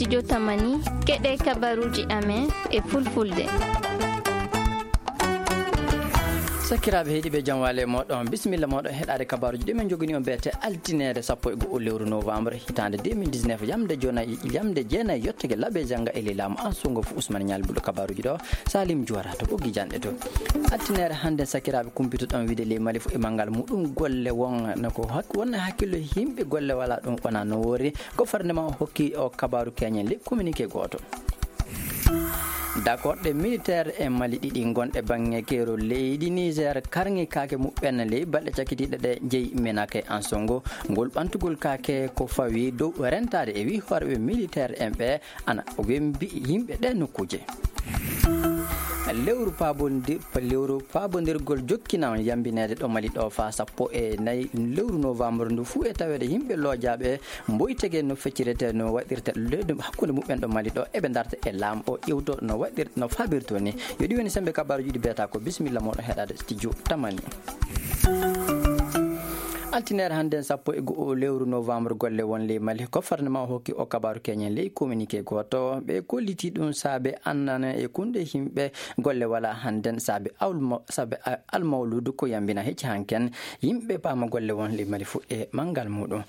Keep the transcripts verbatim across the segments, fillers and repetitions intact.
Studio Tamani, keɗe kabaruji amen e fulfulde. Sakiraaɓe heɗiiɓe, jam waale mooɗon, bisimilla mooɗon heɗaade kabaruji ɗi men njogini on beete altineere sappo e go'o lewru novembre hitaande deux mille dix-neuf, yamde jeenayi, yamde jeenayi yottake labe jannga e ley laamu Ansungo fu Usman Ñaali Bulo. Kabaruji ɗo Salim Juwara to ɓoggi janɗe to. Altineere hannde, sakiraaɓe, kumpito ɗon wiide ley Mali fu e manngal muɗum golle won no ko hak-, wonna hakkillo yimɓe golle wala ɗum wona no woori. Gouvernement o hokki o kabaru keñen ley communiqué gooto. Dakorɗe militaire e Mali ɗiɗi gonɗe baŋŋe keerol leydi Niger karŋi kaake muɓɓen ley balɗe cakkitiiɗe ɗe jeyi Menaka e Ansongo. Ngol ɓantugol kaake ko fawi dow rentaade e wii hooreeɓe militaire en ɓe ana wembi yimɓe ɗe nokkuuje. Lewru paabondir-, lewru paabondirgol jokkinan yambineede ɗo Mali ɗo faa sappo e nayi lewru novembre ndu fuu e taweede yimɓe loojaaɓe mboytege no feccirete, no waɗirta leydi hakkunde muɓɓen ɗo Mali ɗo, eɓe ndarta e laamu o ƴewto no waɗir-, no faabirto ni. Yo ɗi woni sembe kabaruji ɗi beeta ko. Bisimilla mooɗon heɗaade studio Tamani. Altineere hannden sappo e go'o lewru novembre golle won ley Mali, gouvernement o hokki o kabaru keñen ley communiqué gooto. Ɓe kolliti ɗum saabe annana e kunde yimɓe golle wala hannden saabe awlmo-, saabe a-, almawludu ko yambina hecci hanken yimɓe paama golle won ley Mali fu e manngal muɗum.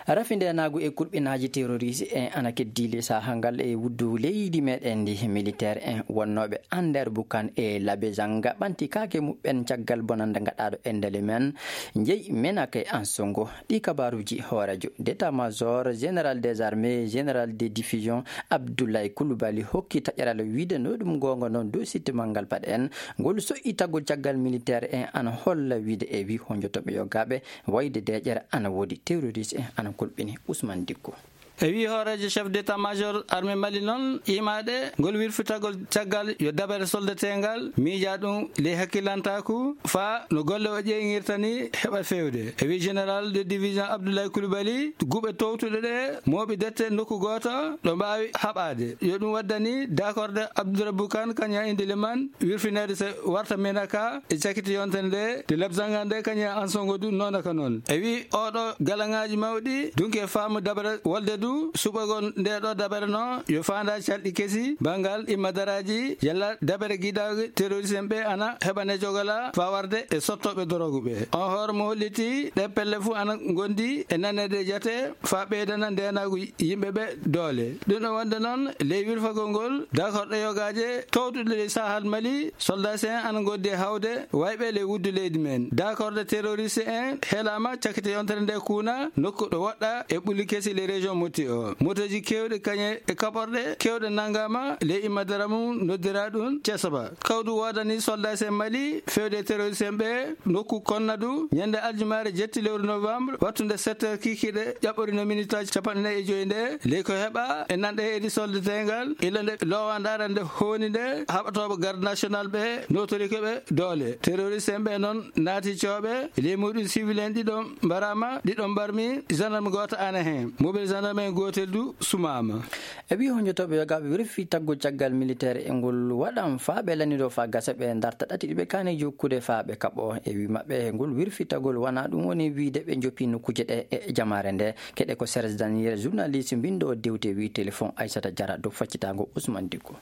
Rafi ndeenaagu e kulɓinaaji terroriste en ana keddii ley saha ngal e wuddu leydi meɗen ndi. Militaire en wonnooɓe Ander Bukan e Labe Zanga ɓanti kaake muɓɓen caggal bonannde ngaɗaaɗo e ndele men, njeyi Menaka e Ansongo. Ɗi kabaruji hooreejo d'état-major, général des armées, général de division, Abdoulaye Coulibaly hokki taƴeral wiide no ɗum goonga noon dow sitte manngal paɗe en. Ngol soƴƴitagol caggal militaire en ana holla wiide e wii honjotoɓe yogaaɓe wayde deeƴere ana woodi terroriste en ana kolɓini. Ousmane Dicko. E wii hooreejo chef d'état-major armée Mali noon, imaade ngol wirfitagol caggal yo dabere soldateengal miija ɗum ley hakkilantaaku faa no golle o ƴeeŋirta ni heɓa feewde. E wii général de division Abdoulaye Coulibaly, guɓe towtuɗe ɗe mooɓi dette nokku gooto ɗo mbaawi haɓaade. Yo ɗum waddani dakorde Abdourabou Kane Kanya Indiliman wirfineede so warta Menaka e cakiti yontere nde, de Labzanga nde kañum e Ansongo du noona ka noon. E wii oɗo galaŋaaji mawɗi dunki e faamu dabere wolde du suɓagol nde ɗo dabere no yo faanda calɗi kesi banngal imma daraaji yalla dabere giɗaago terroriste en ɓe ana heɓane jogola faa warde e sottooɓe dorogu ɓe. On hoore mo holliti ɗe pelle fuu ana ngondi e naneede jate faa ɓeydana ndeenaagu yimɓe ɓe doole. Ɗum ɗo wonde noon, ley wirfagol ngol, dakorɗe yogaaje towtuɗe ley sahal Mali, soldats en ana ngondi e hawde wayɓe ley wuddu leydi men. Dakorɗe terroriste en helaama cakkite yontere nde kuuna nokku ɗo woɗɗa e ɓulli kesi ley région Mopti o. Motooji keewɗi kañe e kaɓorɗe keewɗe nanngaama ley imma dara mum noddiraa ɗum Cesaba. Kawdu woodani soldats en Mali feewde terroriste en ɓe nokku Konnadu, ñande aljumaare jetti lewru novembre, wattunde sept heures kikiiɗe, ƴaɓɓorino minitaaji capanɗe nayi e joyi nde, ley ko heɓa e nanɗe heedi soldateengal, ila nde loowaande arande hooni nde, haɓatooɓe garde national ɓe nootori ko ɓe doole. Terroriste en ɓe noon naati cooɓe, ley muɗum civil en ɗiɗo mbaraama, ɗiɗo mbarmi, gendarme gooto ana heen. Mobile gendarme en gootel du sumaama. E wii honjotooɓe yogaaɓe wirfitagol caggal militaire e ngol waɗan faa ɓe lannidoo faa gasa ɓe ndarta ɗati ɗi ɓe kaani jokkude faa ɓe kaɓoo. E wii maɓɓe ngol wirfitagol wanaa ɗum woni wiide ɓe njoppi nokkuuje ɗe e jamaare nde. Keɗe ko Serge Daniel, journaliste mbindo dewte wii téléphone Aissata Diarra dow faccitaango Ousmane Dicko.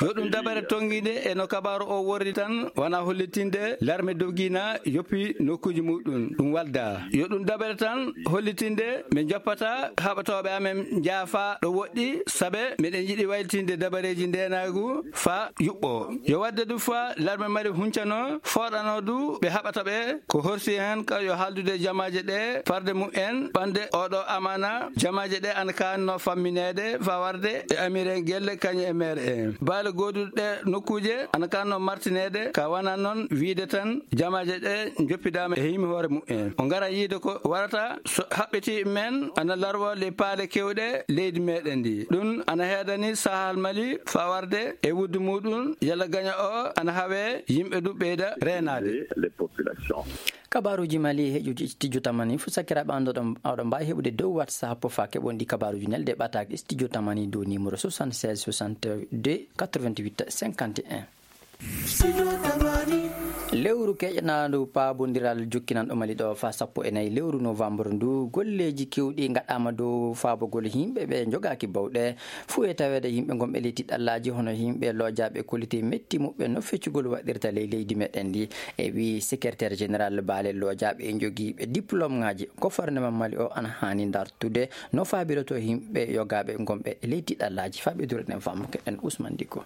Yo ɗum dabare tonngiinde e no kabaaru o worri tan, wona hollitinde larme dogina yoppi nokkuuji muɗum, ɗum walda. Yo ɗum dabare tan hollitinde min joppata haɓatooɓe amen njaafa ɗo woɗɗi, sabe miɗen yiɗi waylitinde dabareeji ndeenaagu faa yuɓɓo. Yo wadde du faa larme mari huncano, fooɗano du ɓe haɓata ɓe, ko horsi heen ka yo haaldude jamaaje ɗe farde mum en ɓande oɗo amaana. Jamaaje ɗe ana kaanno fammineede faa warde e amiren gelle kañum e meer en. Baale gooduɗe ɗe nokkuuje ana kaanno martineede, ka wana noon wiide tan jamaaje ɗe njoppidaama e himi hoore mum en. O ngara yiide ko warata so haɓɓiti men ana larwa ley paale kewɗe leydi meɗen ndi. Ɗum ana heedani sahal Mali faa warde e wuddu muɗum yalla gaña o ana hawe yimɓe du ɓeyda reenaade. Les populations. Kabaruji Mali heƴuji studio Tamani fu sakiraaɓe anndoɗon, oɗon mbaawi heɓude dow WhatsApp faa keɓon ɗi kabaruji nelde ɓataake studio Tamani dow numéro soixante-seize soixante-deux quatre-vingt-huit cinquante et un. Studio Tamani. Lewru keƴanaandu paabondiral jokkinanɗo Mali ɗo faa sappo e nayi lewru novembre ndu, golleeji keewɗi ngaɗaama dow faabagol yimɓe ɓe njogaaki bawɗe. Fuu e taweede yimɓe ngonɓe ley tiɗallaaji hono yimɓe loojaaɓe kolliti metti muɓɓe no feccugol waɗirta ley leydi meɗen ndi. E wii secrétaire général baale loojaaɓe e njogiiɓe diplôme ŋaaji gouvernement Mali o ana haani dartude no faabiroto yimɓe yogaaɓe ngonɓe ley tiɗallaaji. Faaɓe dure ɗen faamu keɗen Ousmane Dicko.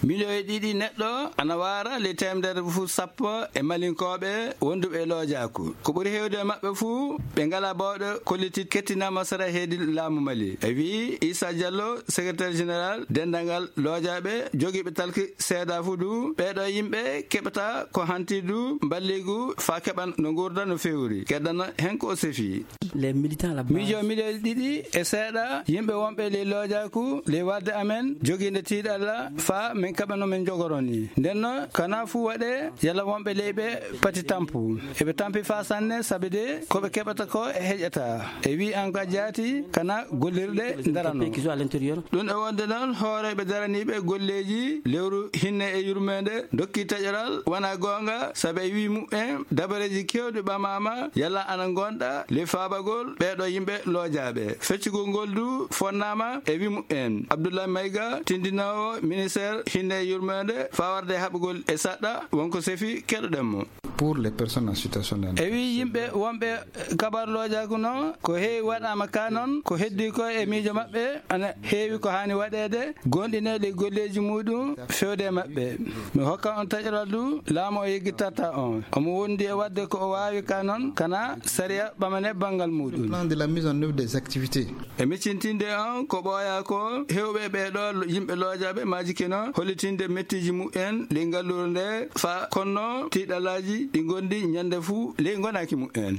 Miliyoŋ e ɗiɗi neɗɗo ana waara ley teemedere fuu sappo e Malinkooɓe wonduɓe e loojaaku. Ko ɓuri heewde e maɓɓe fuu, ɓe ngalaa bawɗe kolliti kettinaama sara heedi laamu Mali. E wii Issa Diallo, secrétaire général denndaangal loojaaɓe jogiiɓe talki seedaa fuu du, ɓeeɗo yimɓe keɓata ko hanti du mballigu faa keɓan no nguurda no feewri. Keddana hen ko o sefi. Les militants là-bas. Miijo miliyoŋ ɗiɗi e seeɗa yimɓe wonɓe ley loojaaku ley wadde amen jogiinde tiiɗalla faa min kaɓa no min njogoroo nii. Nden noon, kanaa fuu waɗee yalla wonɓe ley ɓe pati tampu. Eɓe tampi faa sanne, sabi de ko ɓe keɓata ko e heƴataa. E wii an ka jaati, kanaa gollirɗe ndarano. Pays qui sont à l'intérieur. Ɗum e wonde noon, hooreeɓe daraniiɓe golleeji lewru hinne e yurmeende ndokki taƴoral wonaa goonga, sabi e wii muɓɓen dabareeji keewɗi ɓamaama yalla ana ngonɗa ley faabagol ɓeeɗo yimɓe loojaaɓe. Feccugol ngol du fonnaama e wii muɓɓen. Abdoulaye Maïga, tindinoowo ministère hinne e yurmeende faa warde haɓugol e saɗɗa, wonko sefi keɗoɗen mo. Pour les personnes en situation de... E wii yimɓe wonɓe kabar loojaaku noon, ko heewi waɗaama ka noon, ko heddi ko e miijo maɓɓe, ana heewi ko haani waɗeede, goonɗinee ɗi golleeji muuɗum feewde e maɓɓe. Mi hokka on taƴoral du, laamu o yeggittataa on. Omo wondi e waɗde ko o waawi ka noon, kana sariya ɓamane banngal muuɗum. Plan de la mise en œuvre des activités. E miccintinde on ko ɓooyaa ko, heewɓe ɓee ɗoo yimɓe loojaaɓe maajikino hollitinde mettiiji muɓɓen ley ngalluure nde faa konno tiiɗalaaji ɗi ngondi ñande fuu ley ngonaaki muɓɓen.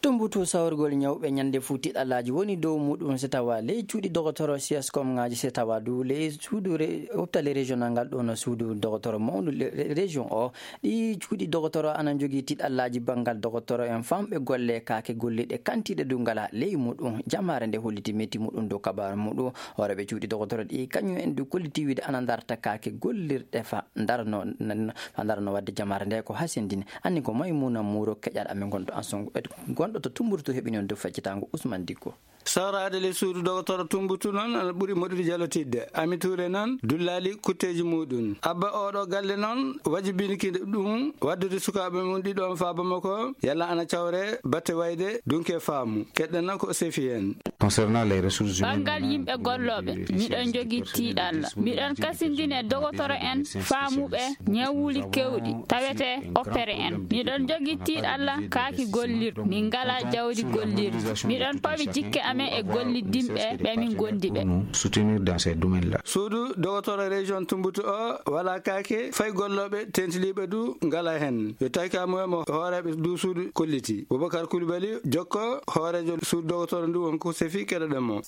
Tumbutoo sawrugol ñawɓe ñande fuu tiiɗalaaji woni dow muuɗum, si tawaa ley cuuɗi dogotoro C S com ŋaaji, si tawaa du ley suudu re-, opitali régional ngal ɗoo no suudu dogotoro mawndu le-, re-, région o. Ɗii cuuɗi dogotoro ana njogii tiiɗallaaji banngal dogotoro en famɓe golle kaake golliiɗe kantiiɗe du ngalaa ley muuɗum. Jamaare nde holliti metti muuɗum dow kabaaru muuɗum. Hooreeɓe cuuɗi dogotoro ɗi kañum en du kolliti wiide ana ndarta kaake gollirɗe fa ndarno, n-, n-, fa ndarno waɗde jamaare nde ko hasindini. Anni ko Maymuna Muuro keƴal amen gonɗo Anso, gonɗo to Tumbutu heɓini on dow feccitaango Usman Dikko. Sawraade ley suudu dogotoro Tumbutu noon ana ɓuri moɗude jalotidde. Ami Tuure noon dullaali kutteeji muuɗum. Abba oo ɗoo galle noon wajibinki ɗum waddude sukaaɓe mum ɗiɗo on faa Bamako, yalla ana cawre batte wayde dunke faamu. Keɗɗen noon ko o sefi heen. Concernant les ressources humaines, banngal yimɓe gollooɓe, miɗon njogii tiiɗalla. Miɗon kasindini e dogotoro en faamuɓe ñawuuli keewɗi tawetee opere en. Miɗon njogii tiiɗalla kaaki gollirɗi. Min ngalaa jawdi gollirdi. Miɗon pawi jikke amen e gollidinɓe ɓe min gondi ɓe. Soutenir dans ces domaines-là. Suudu dogotoro région Tumbutu o walaa kaake, fay gollooɓe tentiliiɓe du ngalaa heen. Yo tawi ka mo hooreeɓe du suudu kolliti. Boubacar Coulibaly, jokko hooreejo suudu dogotoro ndu, won ko sefi keɗoɗen mo.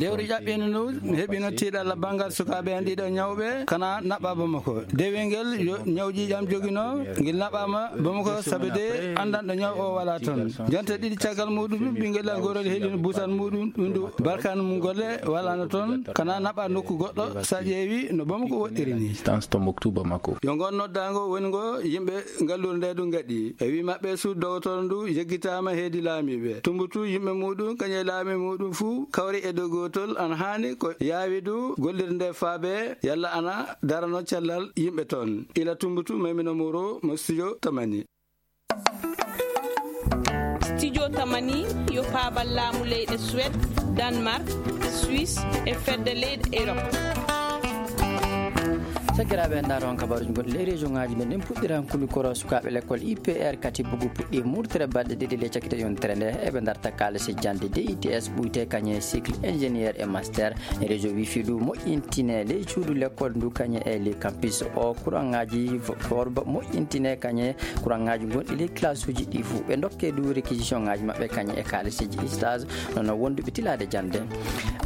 Lewru ƴaɓɓiino ndu, mi heɓino tiiɗalla banngal sukaaɓe en ɗiɗo ñawɓe, kana naɓɓa Bamako. Dewel ngel yo ñaw ƴiiƴam joginoo, ngel naɓɓaama Bamako, sabi de anndanɗo ñaw o walaa toon. Jonte ɗiɗi caggal muuɗum, ɓinngel am gorol helino busan muuɗum, ɗum du barkaanu mum golle walaano toon, kana naɓɓa nokku goɗɗo, sa ƴeewi no Bamako woɗɗiri ni. Distance to Moktu Bamako. Yo ngon noddaango woni ngo yimɓe ngalluure nde du ngaɗi. E wii maɓɓe, suudu dogotoro ndu yeggitaama heedi laamiiɓe. Tumbutu yimɓe muuɗum, kañum e laamiiɓe muuɗum fuu kawri e dow gootol, ana haani ko yaawi du gollirde nde faabe yalla ana darano cellal yimɓe toon. Ila Tumbutu, Maymuna Muuro mo studio Tamani. Studio Tamani yo paabal laamu leyɗe Suède, Danemark, Suisse e fedde leyɗe Europe. Sakiraaɓe, en ndaaro on kabaaruuji gonɗi ley région ŋaaji men. En puɗɗiran kuli koro sukaaɓe lekkol I P R Katibugu puɗɗi murtere balɗe ɗiɗi ley cakkite yontere nde. Eɓe ndarta kaalisi jannde D I T S ɓuyte kañe cycle ingénieur e master. Réseau wifi du moƴƴintine ley cuuɗi lekkol ndu kañe e ley campus o. Kuraŋaaji forba moƴƴintine kañe kuraŋaaji gonɗi ley classe uji ɗi fuu. Ɓe ndokke du réquisition ŋaaji maɓɓe kañe e kaalisiiji stage. Nono wonduɓe tilaade jannde.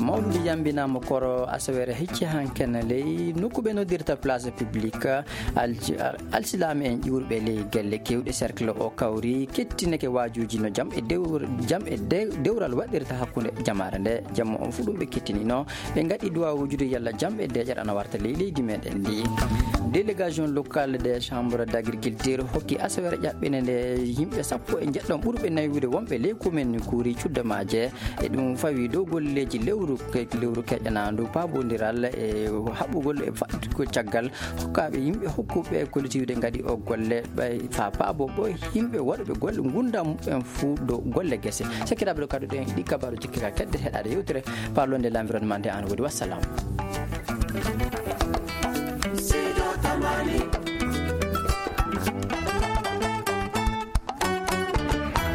Mawludu yambinaama koro asaweere hecci hanken ley nokku ɓe noddirta Place publique, alsilaame en ƴuurɓe ley gelle keewɗe cercle o kawri kettineke waajuuji no jam e dewral waɗirta hakkunde jamaare nde. Jamma on fuu ɗum ɓe kettinino, ɓe ngaɗi duwaa wujude yalla jam e deeƴere ana warta ley leydi meɗen ndi. Délégation locale des chambres d'agriculture hokki asawere ƴaɓɓine nde yimɓe sappo e njeɗɗon ɓurɓe naywude wonɓe ley komin kuuri cudda maaje. E ɗum fawi dow golleeji lewru lewru keƴanaandu paabondiral e haɓugol e faɗɗugol caggal hokkaaɓe yimɓe hokkuɓe collectivité ngaɗi o golle ɓay faa paabo ɓoy yimɓe waɗuɓe golle ngunda muɓɓen fuu dow golle gese. Sekkiraaɓe ɗo kadi ɗen ɗi kabaaru jikkira kedde heɗaade yewtere parlonde l'environnement nde an woodi. Wassalam.